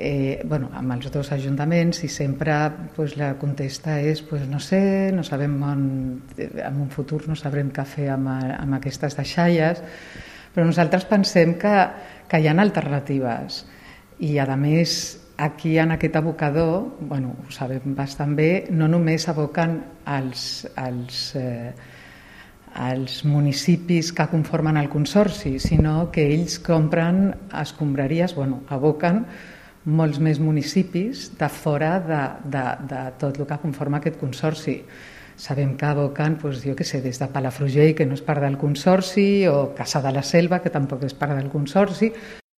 amb els dos ajuntaments, i sempre la contesta és no sé, no sabem en un futur no sabrem què fer amb aquestes deixalles, però nosaltres pensem que hi ha alternatives, i a més aquí en aquest abocador, ho sabem bastant bé, no només aboquen els municipis que conformen el consorci, sinó que ells compren escombraries, aboquen molts més municipis de fora de tot el que conforma aquest consorci. Sabem que aboquen, des de Palafrugell, que no és part del consorci, o Cassà de la Selva, que tampoc és part del consorci,